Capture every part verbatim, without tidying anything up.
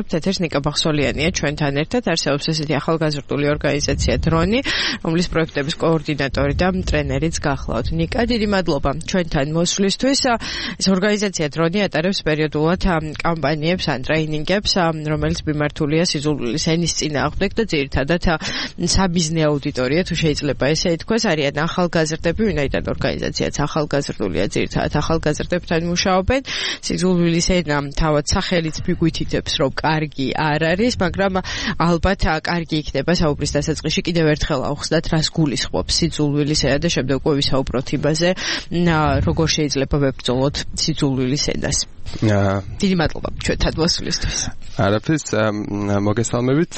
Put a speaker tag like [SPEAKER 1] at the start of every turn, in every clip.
[SPEAKER 1] ვისაუბრებთ, ეთერს ნიკა ბახსოლიანია ჩვენთან ერთად, არსებობს ესეთი ახალგაზრდული ორგანიზაცია დრონი, რომლის პროექტების კოორდინატორი და ტრენერიც გახლავთ. ნიკა, დიდი მადლობა ჩვენთან მოსვლისთვის. ეს ორგანიზაცია დრონი ატარებს პერიოდულად კამპანიებს ან ტრეინინგებს, რომელიც მიმართულია სიძულვილის ენის წინააღმდეგ და ძირითადად საბიზნე აუდიტორია, თუ შეიძლება ესე ითქვას, არიან ახალგაზრდები, ვინაიდან ორგანიზაციაც ახალგაზრდულია, ძირითადად ახალგაზრდებთან მუშაობენ. სიძულვილის ენა თავად სახელიც მიგვითითებს, რომ კარგი არ არის, მაგრამ ალბათ კარგი იქნება საუბრის დასაწყისში კიდევ ერთხელ ავხსნათ, რას გულისხმობს სიძულვილის ენა და შემდეგ უკვე ვისაუბროთ იმაზე, როგორ შეიძლება ვებრძოლოთ სიძულვილის ენას. დიდი მადლობა ჩვენთან მოსვლისთვის.
[SPEAKER 2] არაფერს, მოგესალმებით.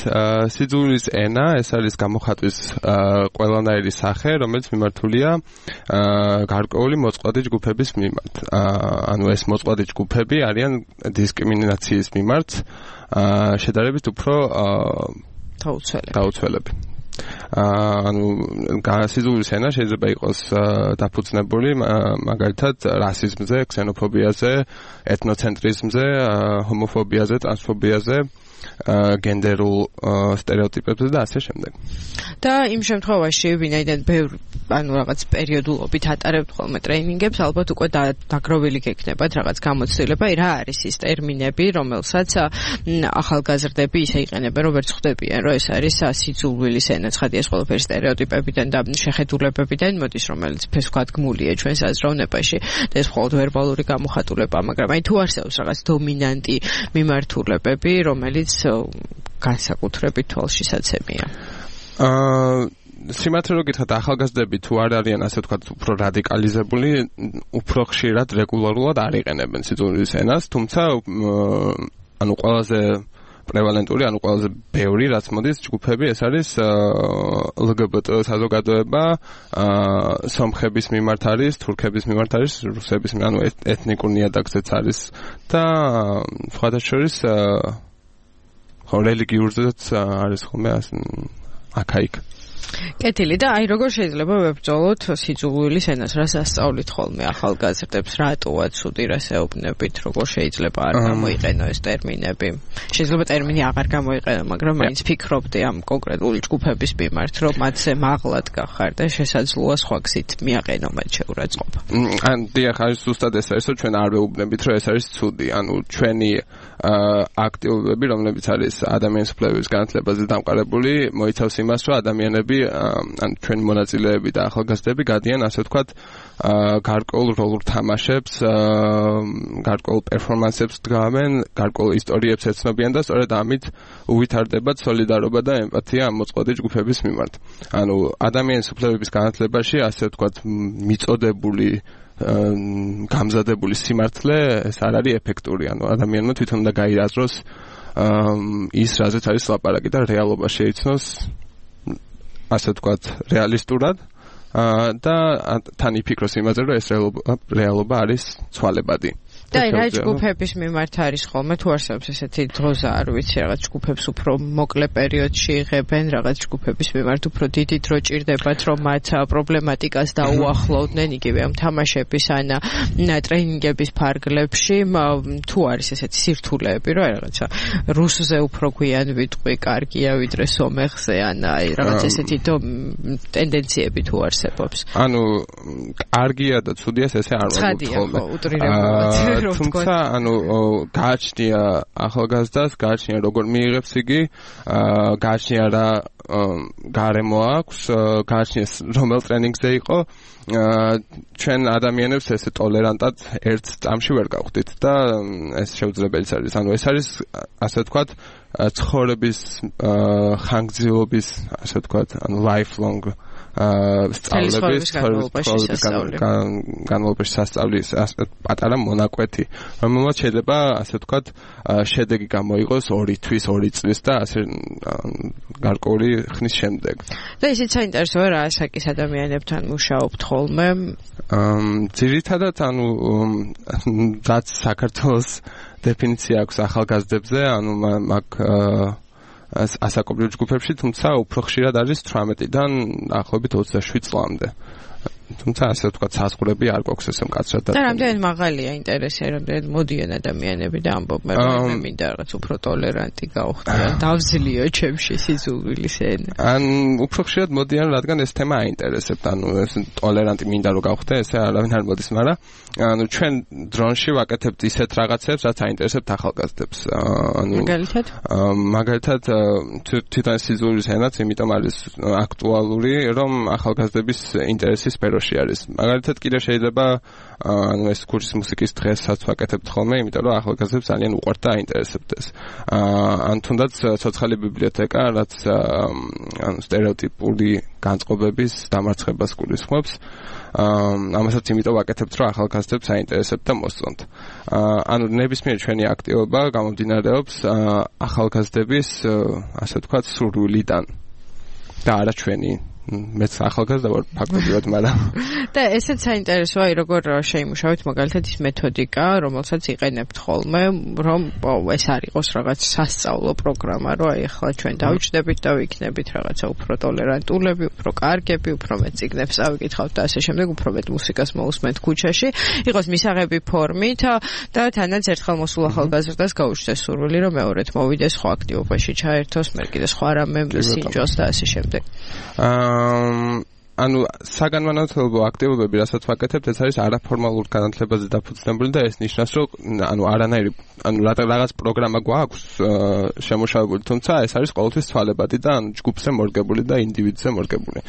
[SPEAKER 2] სიძულვილის ენა ეს არის გამოხატვის ყველანაირი სახე, რომელიც მიმართულია გარკვეული მოწყვლადი ჯგუფების მიმართ. ანუ ეს მოწყვლადი ჯგუფები არიან დისკრიმინაციის მიმართ შედარებით უფრო დაუცველები. ანუ სიძულვილის ენა შეიძლება იყოს დაფუძნებული მაგალითად რასიზმზე, ქსენოფობიაზე, ეთნოცენტრიზმზე, ჰომოფობიაზე, ტრანსფობიაზე, გენდერულ სტერეოტიპებზე და ასე შემდეგ.
[SPEAKER 1] და იმ შემთხვევაში, ვინაიდან ბევრ ანუ რაღაც პერიოდულობით ატარებთ ხოლმე ტრეინინგებს, ალბათ უკვე დაგროვილი გექნებათ რაღაც გამოცდილება, რა არის ის ტერმინები, რომელსაც ახალგაზრდები ისე იყენებენ, რომ ვერც ხვდებიან, რომ ეს არის სიძულვილის ენა, ცხადია ეს ყველაფერი სტერეოტიპებიდან და შეხედულებებიდან მოდის, რომელიც ფესვგადგმულია ჩვენს აზროვნებაში და ეს მხოლოდ ვერბალური გამოხატულება, მაგრამ აი თუ არსებობს რაღაც დომინანტი მიმართულებები, რომელიც განსაკუთრებით თვალშისაცემია.
[SPEAKER 2] აა სიმართლე რომ გითხრათ, ახალგაზრდები თუ არ არიან ასე ვთქვათ უფრო რადიკალიზებული, უფრო ხშირად რეგულარულად არ იყენებენ სიძულვილის ენას, თუმცა ანუ ყველაზე პრევალენტური, ანუ ყველაზე ბევრი რაც მოდის ჯგუფები, ეს არის ელ გი ბი ტი საზოგადოება, სომხების მიმართ არის, თურქების მიმართ არის, რუსების, ანუ ეთნიკურ ნიადაგზეც არის და სხვათა შორის ხო რელიგიურზეც არის ხოლმე აქა-იქ.
[SPEAKER 1] კეთილი და აი როგორ შეიძლება ვებრძოლოთ სიძულვილის ენას, რას ასწავლით ხოლმე ახალგაზრდებს, რატოა ცუდი, რას ეუბნებით, როგორ შეიძლება არ გამოიყენო ეს ტერმინები. შეიძლება ტერმინი აღარ გამოიყენო, მაგრამ მაინც ფიქრობდი ამ კონკრეტული ჯგუფების მიმართ, რომ მათზე მაღლად გახარ და შესაძლოა სხვა გზით მიაყენო მათ შეურაცხყოფა.
[SPEAKER 2] ან დიახ, არის ზუსტად ეს არის, რომ ჩვენ არ ვეუბნებით, რომ ეს არის ცუდი, ანუ ჩვენი აქტივობები, რომლებიც არის ადამიანის უფლებების განათლებაზე დამყარებული, მოიცავს იმას, რომ ადამიანები ან ჩვენი მონაწილეები და ახალგაზრდები გადიან ასე ვთქვათ გარკვეულ როლურ თამაშებს, გარკვეულ პერფორმანსებს დგამენ, გარკვეულ ისტორიებს ეცნობიან და სწორედ ამით უვითარდებათ სოლიდარობა და ემპათია ამ მოწყვლადი ჯგუფების მიმართ. ანუ ადამიანის უფლებების განათლებაში ასე ვთქვათ მიწოდებული გამზადებული სიმართლე ეს არ არის ეფექტური, ანუ ადამიანმა თვითონ უნდა გაიაზროს ის რაზეც არის ლაპარაკი და რეალობა შეიცნოს ასე ვთქვათ რეალისტურად და თან იფიქროს იმაზე, რომ ეს რეალობა არის ცვალებადი.
[SPEAKER 1] და რა ჯგუფების მიმართ არის ხოლმე, თუ არსებობს ესეთი დროზა, არ ვიცი, რაღაც ჯგუფებს უფრო მოკლე პერიოდში იღებენ, რაღაც ჯგუფების მიმართ უფრო დიდი დრო ჭირდებათ, რომ მათ პრობლემატიკას დაუახლოვდნენ, იგივე ამ თამაშების ან ტრეინინგების ფარგლებში, თუ არის ესეთი სირთულეები, რომ რაღაცა რუსზე უფრო გვიან ვიტყვი, კარგია ვიდრე სომეხზე, ან აი რაღაც ესეთი ტენდენციები თუ არსებობს.
[SPEAKER 2] ანუ კარგია და ცუდია ესე არ
[SPEAKER 1] მოგვიყვება. ცხადია, უტრირებულად.
[SPEAKER 2] თუმცა ანუ გააჩნია ახალგაზრდას, გააჩნია როგორ მიიღებს იგი, გააჩნია რა გარემო აქვს, გააჩნია რომელ ტრენინგზე იყო, ჩვენ ადამიანებს ესე ტოლერანტად ერთ წამში ვერ გავხდით და ეს შეუძლებელიც არის. ანუ ეს არის ასე ვთქვათ ცხოვრების ხანგრძლივობის ასე ვთქვათ, ანუ lifelong სწავლების განმავლობაში სასწავლის პატარა მონაკვეთი, რომელმაც შეიძლება ასე ვთქვათ შედეგი გამოიღოს ორი თვის, ორი წლის და ასე გარკვეული ხნის შემდეგ.
[SPEAKER 1] და ისიც საინტერესოა რა ასაკის ადამიანებთან მუშაობთ ხოლმე?
[SPEAKER 2] ძირითადად ანუ რაც საქართველოს დეფინიცია აქვს ახალგაზრდებზე, ანუ მაგ ასაკობრივ ჯგუფებში, თუმცა უფრო ხშირად არის თვრამეტიდან დაახლოებით ოცდაშვიდ წლამდე. თუმცა ასე ვთქვათ საზღვრები არ გვაქვს ესე მკაცრად
[SPEAKER 1] და რამდენად მაღალია ინტერესი, რამდენად მოდიან ადამიანები და ამბობენ, რომ მე მინდა რაღაც უფრო ტოლერანტი გავხდე, დავძლიო ჩემში სიძულვილის ენა.
[SPEAKER 2] ან უფრო ხშირად მოდიან, რადგან ეს თემა აინტერესებთ, ანუ ეს ტოლერანტი მინდა რომ გავხდე, ესე არავინ არ მოდის, მაგრამ ანუ ჩვენ დრონში ვაკეთებთ ისეთ რაღაცებს, რაც აინტერესებთ ახალგაზრდებს. ანუ
[SPEAKER 1] მაგალითად
[SPEAKER 2] მაგალითად თვითონ სიძულვილის ენაც იმიტომ არის აქტუალური, რომ ახალგაზრდების ინტერესის სფეროში არის. მაგალითად კიდე შეიძლება ანუ ეს კურსის მუსიკის დღესაც ვაკეთებთ ხოლმე, იმიტომ რომ ახალგაზრდებს ძალიან უყვართ და აინტერესებდეს. ან თუნდაც ცოცხალი ბიბლიოთეკა, რაც ანუ სტერეოტიპული განწყობების დამარცხებას გულისხმობს. ამასაც იმიტომ ვაკეთებთ, რომ ახალგაზრდებს აინტერესებთ და მოსწონთ. ანუ ნებისმიერ ჩვენი აქტივობა გამომდინარეობს ახალგაზრდების, ასე ვთქვათ, სურვილიდან და არა ჩვენი მეც ახალგაზრდა ვარ ფაქტობრივად, მაგრამ
[SPEAKER 1] და ესეც საინტერესოა, როგორ შეიმუშავეთ მაგალითად ის მეთოდიკა, რომელსაც იყენებთ ხოლმე, რომ ეს არ იყოს რაღაც სასწავლო პროგრამა, რომ აი ახლა ჩვენ დავიჭდებით და ვიქნებით რაღაცა უფრო ტოლერანტულები, უფრო კარგები, უფრო მეტ წიგნებს ავიკითხავთ და ასე შემდეგ, უფრო მეტ მუსიკას მოусმენთ ქუჩაში, იყოს მისაღები ფორმით და თანაც ერთხელ მოსულ ახალგაზრდას გაუჩნდეს სურვილი, რომ მეორედ მოვიდეს სხვა აქტივობაში ჩაერთოს, მე კიდე სხვა რამე სინჯოს და ასე შემდეგ.
[SPEAKER 2] ანუ საგანმანათლებლო აქტივობები, რასაც ვაკეთებთ, ეს არის არაფორმალურ განათლებაზე დაფუძნებული და ეს ნიშნავს, რომ ანუ არანაირი ანუ რაღაც პროგრამა გვაქვს შემუშავებული, თუმცა ეს არის ყოველთვის ცვალებადი და ანუ ჯგუფზე მორგებული და ინდივიდზე მორგებული.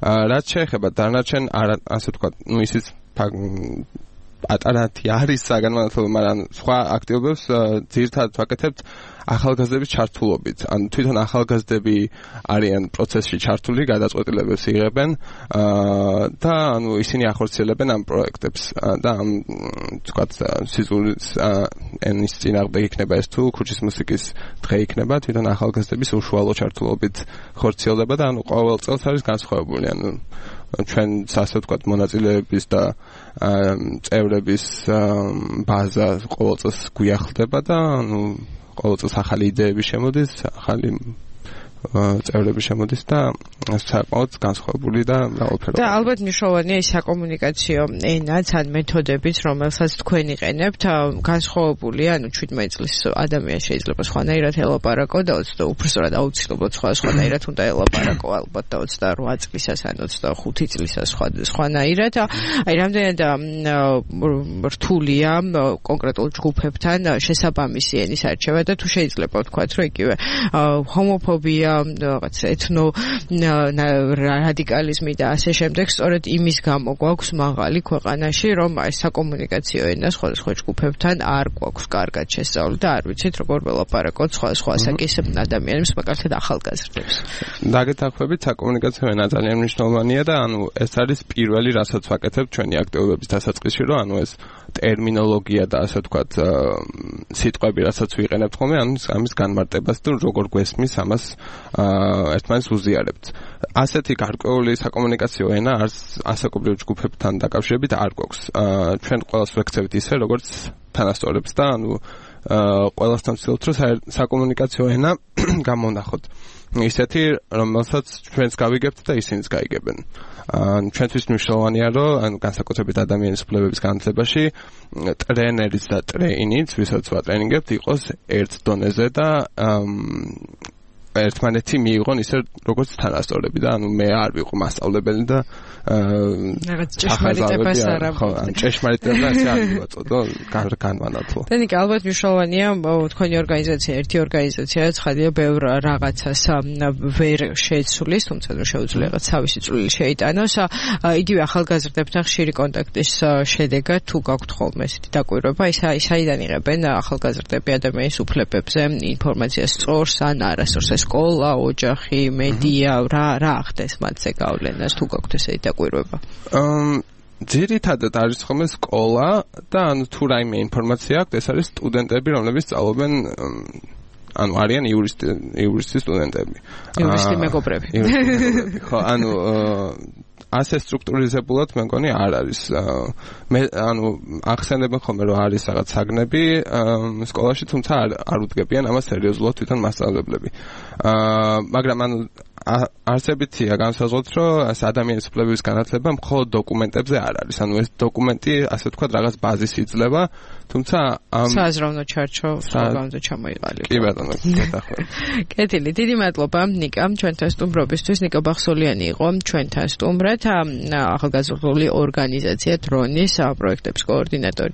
[SPEAKER 2] რაც შეეხება დანარჩენ ასე ვთქვათ, ну ისიც პატარათი არის საგანმანათლებლო, მაგრამ სხვა აქტივობებს ძირითადად ვაკეთებთ ახალგაზრდების ჩართულობით. ანუ თვითონ ახალგაზრდები არიან პროცესში ჩართული, გადაწყვეტილებებს იღებენ და ანუ ისინი ახორციელებენ ამ პროექტებს და ამ თქვათ სიზულის ენის წინააღმდეგ იქნება ეს თუ ქუჩის მუსიკის დღე იქნება, თვითონ ახალგაზრდების უშუალო ჩართულობით ხორციელდება და ანუ ყოველ წელს არის განსხვავებული. ანუ ჩვენ ასე ვთქვათ მონაწილეების და წევრების ბაზა ყოველ წელს გვიახლდება და ანუ ყოველ წელს ახალი იდეები შემოდის, ახალი წევრები შემოდის და საკმაოდ განსხვავებული და მრავალფეროვანი.
[SPEAKER 1] და ალბათ მნიშვნელოვანია ის საკომუნიკაციო ენაც ან მეთოდებიც, რომელსაც თქვენ იყენებთ, განსხვავებულია, ანუ შვიდმეტ წლის ადამიანი შეიძლება სხვანაირად ელაპარაკო და უფრო სწორად აუცილებლად სხვა სხვანაირად უნდა ელაპარაკო, ალბათ და ოცდაორ წლისას ან ოცდახუთი წლისას სხვა სხვანაირად. აი რამდენად რთულია კონკრეტულ ჯგუფებთან შესაბამისი ენის არჩევა და თუ შეიძლება ვთქვათ, რომ იგივე ჰომოფობია რაღაც ეთნო რადიკალიზმი და ასე შემდეგ, სწორედ იმის გამო გვაქვს მაღალი ქვეყანაში, რომ აი საკომუნიკაციო ენა სხვადასხვა ჯგუფებთან არ გვაქვს კარგად შესწავლილი და არ ვიცით როგორ ველაპარაკოთ სხვადასხვა ასაკის ადამიანებს, მაგალითად ახალგაზრდებს.
[SPEAKER 2] დაგეთანხმებით, საკომუნიკაციო ენა ძალიან მნიშვნელოვანია და ანუ ეს არის პირველი, რასაც ვაკეთებ ჩვენი აქტივობების დასაწყისში, რომ ანუ ეს ტერმინოლოგია და ასე ვთქვათ სიტყვები, რასაც ვიყენებთ ხოლმე, ანუ ამის განმარტებას თუ როგორ გვესმის ამას ერთმანეთს უზიარებთ. ასეთი გარკვეული საკომუნიკაციო ენა არც ასაკობრივ ჯგუფებთან დაკავშირებით არ გვაქვს. ჩვენ ყველას ვექცევთ ისე, როგორც თანასწორებს და ანუ ყველასთან ვცდილობთ, რომ საკომუნიკაციო ენა გამონახოთ. ისეთი, რომელსაც ჩვენც გავიგებთ და ისინიც გაიგებენ. ჩვენთვის მნიშვნელოვანია, რომ ანუ განსაკუთრებით ადამიანის უფლებების განათლებაში ტრენერიც და ტრეინიც, ვისაც ვატრენინგებთ, იყოს ერთ დონეზე და ერთმანეთი მიიღონ ისე როგორც თანასწორები და ანუ მე არ ვიყო მასწავლებელი და
[SPEAKER 1] რაღაც ჭეშმარიტებას არ
[SPEAKER 2] ხო, ან ჭეშმარიტება ასე არ მივაწოდო განმანათლო.
[SPEAKER 1] დენიკა, ალბათ მნიშვნელოვანია თქვენი ორგანიზაცია, ერთი ორგანიზაცია, ცხადია ბევრ რაღაცას ვერ შეცვლის, თუმცა ნუ შეუძლია რაღაც თავისი წვლილი შეიტანოს. იგივე ახალგაზრდებთან ხშირი კონტაქტის შედეგად თუ გაქვთ ხოლმე ესეთი დაკვირვება, ის აიდან იღებენ ახალგაზრდები ადამიანის უფლებებზე ინფორმაციას სწორს ან არასწორს, სკოლა, ოჯახი, მედია, რა რა ახდენს მათზე გავლენას თუ გაქვთ ესეთი დაკვირვება?
[SPEAKER 2] ძირითადად არის ხოლმე სკოლა და ანუ თუ რაიმე ინფორმაცია აქვს, ეს არის სტუდენტები, რომლებიც სწავლობენ ანუ არიან იურისტი იურისტის სტუდენტები.
[SPEAKER 1] იურისტი მეგობრები.
[SPEAKER 2] ხო, ანუ ასე სტრუქტურიზებულად მე მგონი არ არის. მე ანუ ახსენებენ ხოლმე რომ არის რაღაც საგნები სკოლაში, თუმცა არ არ უდგებიან ამას სერიოზულად თვითონ მასწავლებლები. მაგრამ ანუ არსებითია განსაზღვროთ, რომ ადამიანის უფლებების განათლება მხოლოდ დოკუმენტებზე არ არის. ანუ ეს დოკუმენტი, ასე ვთქვათ, რაღაც ბაზის იძლევა, თუმცა ამ
[SPEAKER 1] საზრავნო ჩარჩო საგანძო ჩამოიყალიბა.
[SPEAKER 2] კი ბატონო, გეთახმები.
[SPEAKER 1] კეთილი, დიდი მადლობა ნიკა, ჩვენთან სტუმრობისთვის. ნიკა ბახსოლიანი იყო ჩვენთან სტუმრად, ახალგაზრდული ორგანიზაცია დრონის პროექტების კოორდინატორი და